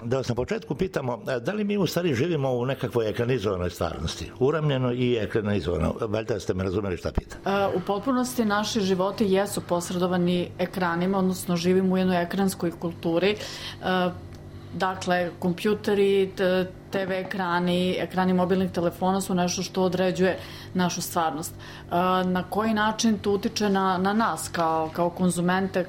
Da vas na početku pitamo, da li mi u stvari živimo u nekakvoj ekranizovanoj stvarnosti? Uramljeno i ekranizovano. Valjda ste me razumeli šta pitam. U potpunosti naši životi jesu posredovani ekranima, odnosno živimo u jednoj ekranskoj kulturi. Dakle, kompjuteri, TV ekrani mobilnih telefona su nešto što određuje našu stvarnost. Na koji način to utiče na nas kao konzumente,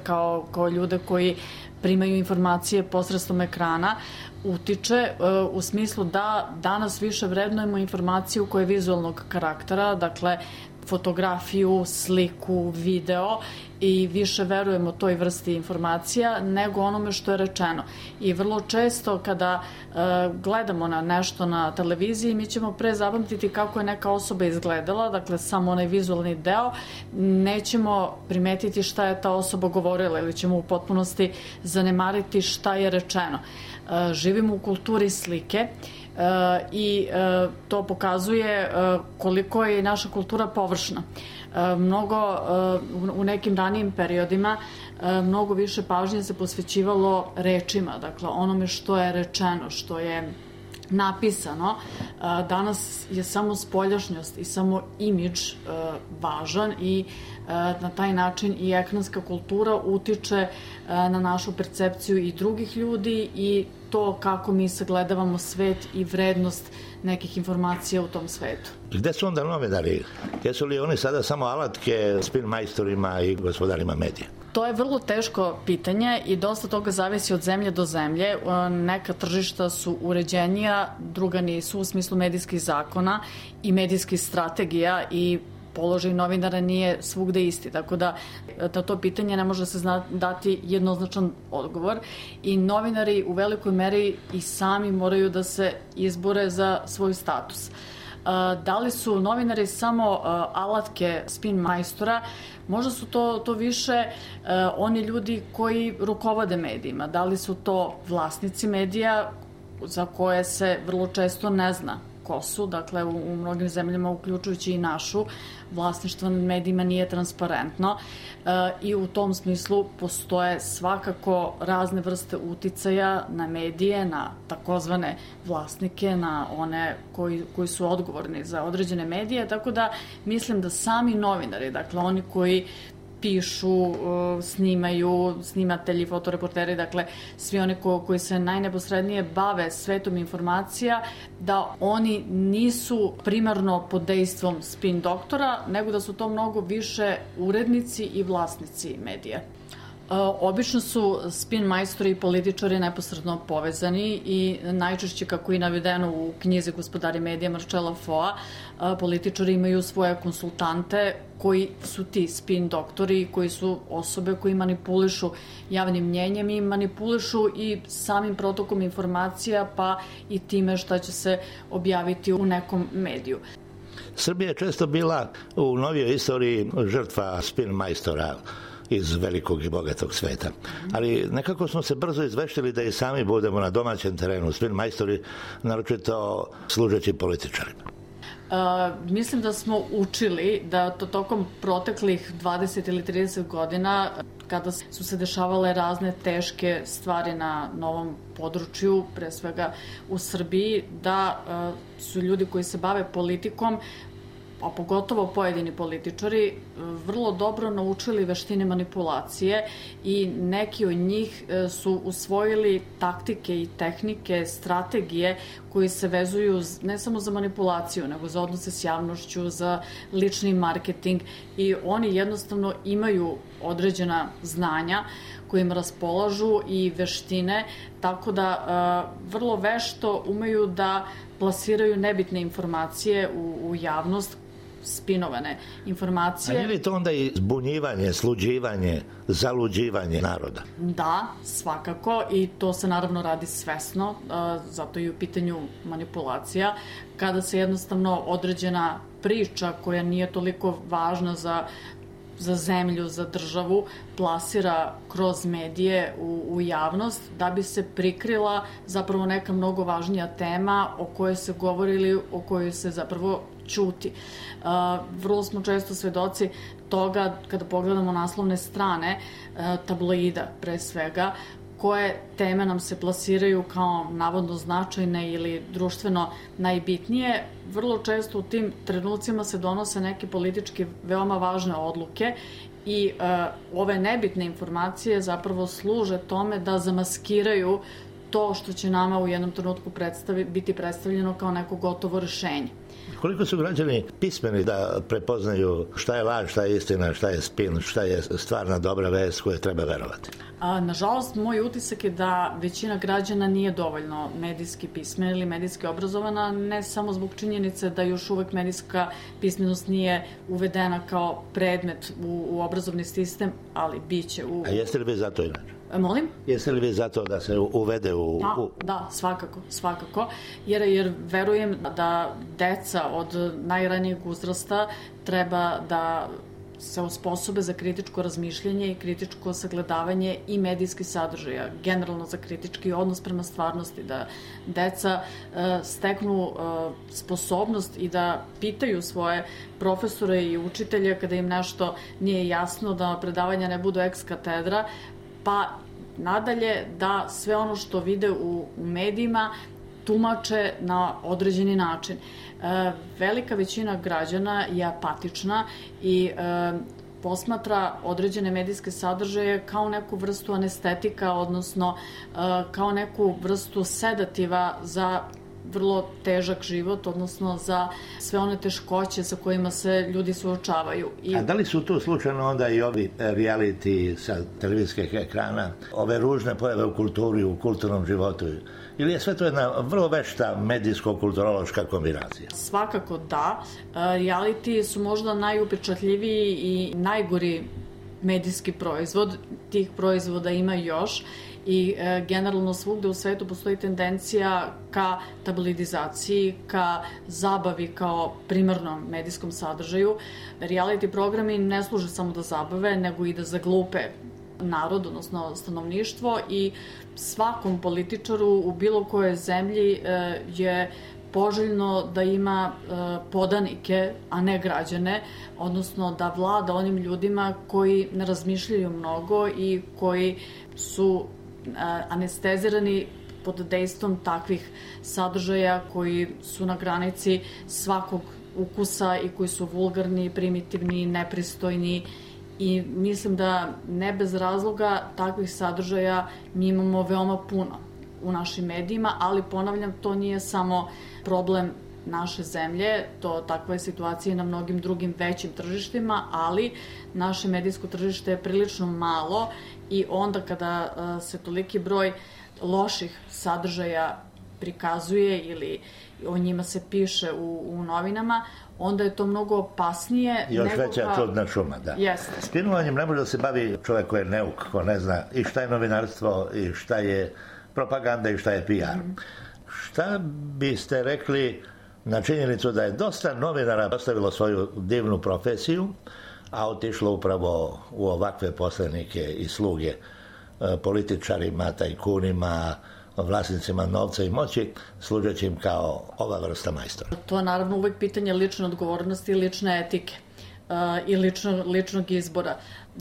kao ljude koji primaju informacije posredstvom ekrana, utiče u smislu da danas više vrednujemo informaciju koja je vizualnog karaktera, dakle fotografiju, sliku, video i više verujemo toj vrsti informacija nego onome što je rečeno. I vrlo često kada gledamo na nešto na televiziji, mi ćemo pre zapamtiti kako je neka osoba izgledala, dakle samo onaj vizualni deo, nećemo primetiti šta je ta osoba govorila ili ćemo u potpunosti zanemariti šta je rečeno. Živimo u kulturi slike i to pokazuje koliko je naša kultura površna. U nekim ranijim periodima mnogo više pažnje se posvećivalo rečima, dakle onome što je rečeno, što je napisano. Danas je samo spoljašnjost i samo imidž važan i na taj način i ekranska kultura utiče na našu percepciju i drugih ljudi i to kako mi sagledavamo svet i vrednost nekih informacija u tom svetu. Gde su onda novinari? Jesu li oni sada samo alatke spin majstorima i gospodarima medija? To je vrlo teško pitanje i dosta toga zavisi od zemlje do zemlje. Neka tržišta su uređenija, druga nisu u smislu medijskih zakona i medijskih strategija i položaj novinara nije svugde isti, tako da na to pitanje ne može se dati jednoznačan odgovor i novinari u velikoj meri i sami moraju da se izbore za svoj status. Da li su novinari samo alatke spin majstora? Možda su to više oni ljudi koji rukovode medijima. Da li su to vlasnici medija za koje se vrlo često ne zna ko su, dakle u mnogim zemljama uključujući i našu, vlasništvo nad medijima nije transparentno i u tom smislu postoje svakako razne vrste uticaja na medije, na takozvane vlasnike, na one koji su odgovorni za određene medije, tako da mislim da sami novinari, dakle oni koji pišu, snimaju, snimatelji, fotoreporteri, dakle svi oni koji se najneposrednije bave svetom informacija, da oni nisu primarno pod dejstvom spin doktora, nego da su to mnogo više urednici i vlasnici medija. Obično su spin majstori i političari neposredno povezani i najčešće, kako i navedeno u knjizi Gospodari medija Marcella Foa, političari imaju svoje konsultante koji su ti spin doktori, koji su osobe koji manipulišu javnim mnjenjem i manipulišu i samim protokom informacija, pa i time šta će se objaviti u nekom mediju. Srbija je često bila u novijoj istoriji žrtva spin majstora iz velikog i bogatog sveta. Ali nekako smo se brzo izveštili da i sami budemo na domaćem terenu spin majstori, naročito služeći političarima. Mislim da smo učili da tokom proteklih 20 ili 30 godina, kada su se dešavale razne teške stvari na novom području, pre svega u Srbiji, da su ljudi koji se bave politikom, a pogotovo pojedini političari, vrlo dobro naučili veštine manipulacije i neki od njih su usvojili taktike i tehnike, strategije koji se vezuju ne samo za manipulaciju, nego za odnose s javnošću, za lični marketing i oni jednostavno imaju određena znanja kojim raspolažu i veštine, tako da vrlo vešto umeju da plasiraju nebitne informacije u javnost, spinovane informacije. A nije li to onda i zbunjivanje, sluđivanje, zaluđivanje naroda? Da, svakako, i to se naravno radi svesno, zato i u pitanju manipulacija, kada se jednostavno određena priča koja nije toliko važna za zemlju, za državu, plasira kroz medije u javnost da bi se prikrila zapravo neka mnogo važnija tema o kojoj se govori ili o kojoj se zapravo ćuti. Vrlo smo često svedoci toga kada pogledamo naslovne strane tabloida pre svega, koje teme nam se plasiraju kao navodno značajne ili društveno najbitnije. Vrlo često u tim trenucima se donose neke politički veoma važne odluke i ove nebitne informacije zapravo služe tome da zamaskiraju to što će nama u jednom trenutku biti predstavljeno kao neko gotovo rešenje. Koliko su građani pismeni da prepoznaju šta je laž, šta je istina, šta je spin, šta je stvarna dobra vest koju treba verovati? Nažalost, moj utisak je da većina građana nije dovoljno medijski pismena ili medijski obrazovana, ne samo zbog činjenice da još uvek medijska pismenost nije uvedena kao predmet u obrazovni sistem, ali biće u... A jeste li vi za to inače? Molim? Jeste li vi za to da se uvede u... Da, svakako. Jer verujem da deca od najranijeg uzrasta treba da se osposobe za kritičko razmišljanje i kritičko sagledavanje i medijskih sadržaja, generalno za kritički odnos prema stvarnosti, da deca steknu sposobnost i da pitaju svoje profesore i učitelje kada im nešto nije jasno, da predavanja ne budu ex katedra, pa nadalje da sve ono što vide u medijima tumače na određeni način. Velika većina građana je apatična i posmatra određene medijske sadržaje kao neku vrstu anestetika, odnosno kao neku vrstu sedativa za vrlo težak život, odnosno za sve one teškoće sa kojima se ljudi suočavaju. A da li su tu slučajno onda i ovi reality sa televizijskih ekrana, ove ružne pojave u kulturi, u kulturnom životu? Ili je sve to jedna vrlo vešta medijsko-kulturološka kombinacija? Svakako da. Reality su možda najupečatljiviji i najgori medijski proizvod. Tih proizvoda ima još i generalno svugde u svetu postoji tendencija ka tabloidizaciji, ka zabavi kao primarnom medijskom sadržaju. Reality programi ne služe samo da zabave, nego i da zaglupe narod, odnosno stanovništvo, i svakom političaru u bilo kojoj zemlji je poželjno da ima podanike, a ne građane, odnosno da vlada onim ljudima koji ne razmišljaju mnogo i koji su anestezirani pod dejstvom takvih sadržaja koji su na granici svakog ukusa i koji su vulgarni, primitivni, nepristojni, i mislim da ne bez razloga takvih sadržaja mi imamo veoma puno u našim medijima, ali ponavljam, to nije samo problem naše zemlje, takva je situacija i na mnogim drugim većim tržištima, ali naše medijsko tržište je prilično malo i onda kada se toliki broj loših sadržaja prikazuje ili o njima se piše u novinama, onda je to mnogo opasnije. Još veća čudna šuma, da. Jeste. Spinovanjem ne može da se bavi čovjek koji je neuk, ko ne zna i šta je novinarstvo i šta je propaganda i šta je PR. Šta biste rekli na činjenicu da je dosta novinara ostavilo svoju divnu profesiju, a otišlo upravo u ovakve poslenike i sluge političarima, tajkunima, vlasnicima novca i moći, služeći im kao ova vrsta majstora? To je naravno uvek pitanje lične odgovornosti i lične etike i ličnog izbora.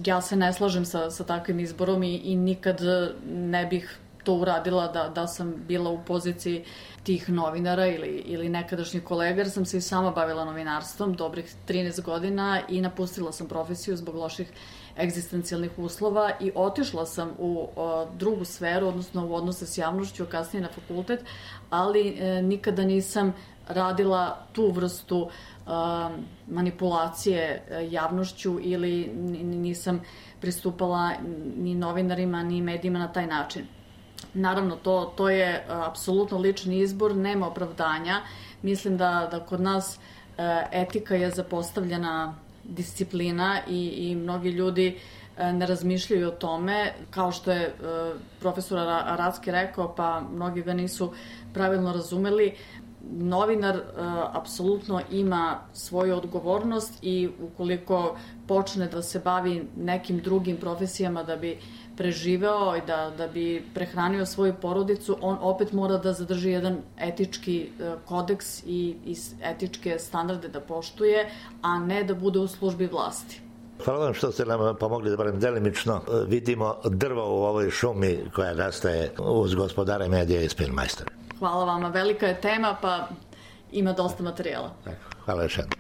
Ja se ne slažem sa takvim izborom i nikad ne bih to uradila da sam bila u poziciji tih novinara ili nekadašnjih kolega, jer sam se i sama bavila novinarstvom dobrih 13 godina i napustila sam profesiju zbog loših egzistencijalnih uslova i otišla sam u drugu sferu, odnosno u odnose s javnošću, kasnije na fakultet, ali nikada nisam radila tu vrstu manipulacije javnošću ili nisam pristupala ni novinarima ni medijima na taj način. Naravno, to je apsolutno lični izbor, nema opravdanja. Mislim da kod nas etika je zapostavljena disciplina i mnogi ljudi ne razmišljaju o tome, kao što je profesor Aracki rekao, pa mnogi ga nisu pravilno razumeli. Novinar apsolutno ima svoju odgovornost i ukoliko počne da se bavi nekim drugim profesijama da bi preživeo i da bi prehranio svoju porodicu, on opet mora da zadrži jedan etički kodeks i etičke standarde da poštuje, a ne da bude u službi vlasti. Hvala vam što ste nam pomogli da barem delimično vidimo drvo u ovoj šumi koja rastaje uz Gospodare medija i Spinmajstora. Hvala vama, velika je tema, pa ima dosta materijala. Hvala još jednom.